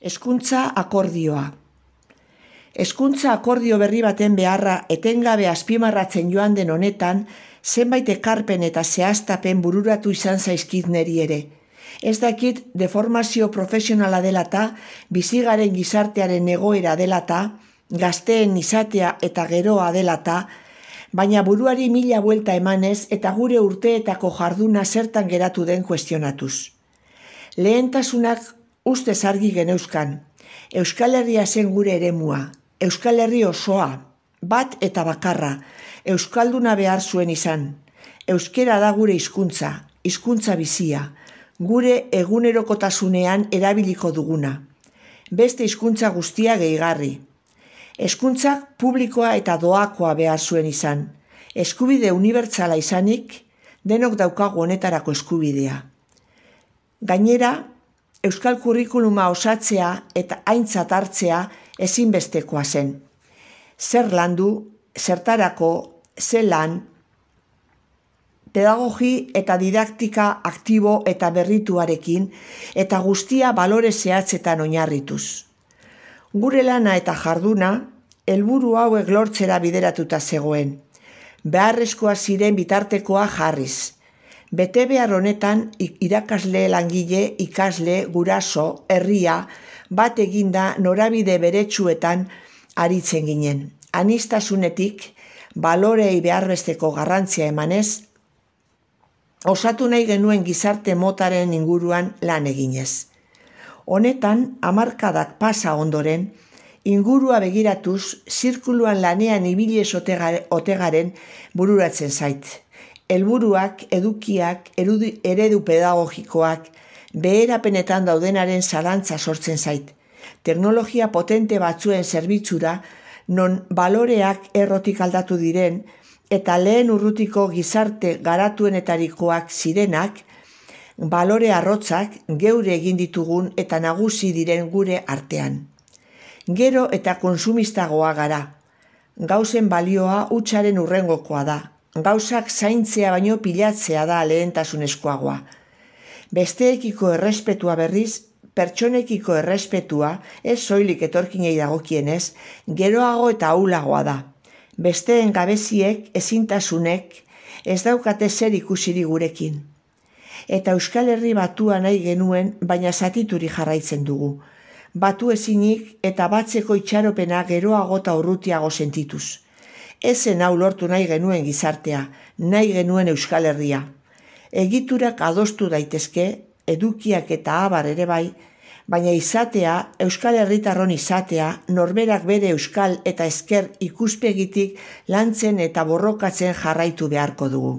Hezkuntza akordioa. Hezkuntza akordio berri baten beharra etengabe azpimarratzen joan den honetan, zenbait ekarpen eta zehaztapen bururatu izan zaizkit neri ere. Ez dakit deformazio profesionala dela eta, bizigaren gizartearen egoera dela eta, gazteen izatea eta geroa dela eta, baina buruari mila buelta emanez eta gure urteetako jarduna zertan geratu den kuestionatuz. Lehentasunak ustez argi geneuzkan. Euskal Herria zen gure eremua, Euskal Herri osoa, bat eta bakarra, euskalduna behar zuen izan. Euskera da gure hizkuntza, hizkuntza bizia, gure egunerokotasunean erabiliko duguna. Beste hizkuntza guztia gehigarri. Hezkuntzak publikoa eta doakoa behar zuen izan. Eskubide unibertsala izanik, denok daukagu honetarako eskubidea. Gainera, euskal kurrikuluma osatzea eta aintzat hartzea ezinbestekoa zen. Zer landu, zertarako, zelan, pedagogi eta didaktika aktibo eta berrituarekin eta guztia balore zehatzetan oinarrituz. Gure lana eta jarduna, helburu hauek lortzera bideratuta zegoen. Beharrezkoa ziren bitartekoa jarriz. Betebehar honetan irakasle, langile, ikasle, guraso, herria, bat eginda norabide beretsuetan aritzen ginen. Aniztasunetik, balorei beharbesteko garrantzia emanez, osatu nahi genuen gizarte motaren inguruan lan eginez. Honetan, hamarkadak pasa ondoren, ingurua begiratuz, zirkuluan lanean ibilez ote garen bururatzen zait. Helburuak, edukiak, eredu pedagogikoak, beherapenetan daudenaren zalantza sortzen zait. Teknologia potente batzuen zerbitzura, non baloreak errotik aldatu diren, eta lehen urrutiko gizarte garatuenetarikoak zirenak, balore arrotzak geure egin ditugun eta nagusi diren gure artean. Gero eta konsumistagoa gara. Gauzen balioa hutsaren hurrengokoa da. Gauzak zaintzea baino pilatzea da lehentasunezkoagoa. Besteekiko errespetua berriz, pertsonekiko errespetua, ez soilik etorkinei dagokienez, geroago eta ahulagoa da. Besteen gabeziek, ezintasunek, ez daukate zer ikusiri gurekin. Eta Euskal Herri batua nahi genuen, baina zatituri jarraitzen dugu. Batu ezinik eta batzeko itxaropena geroago eta urrutiago sentituz. Ezen hau lortu nahi genuen gizartea, nahi genuen Euskal Herria. Egiturak adostu daitezke, edukiak eta abar ere bai, baina izatea, Euskal Herritarron izatea, norberak bere euskal eta ezker ikuspegitik lantzen eta borrokatzen jarraitu beharko dugu.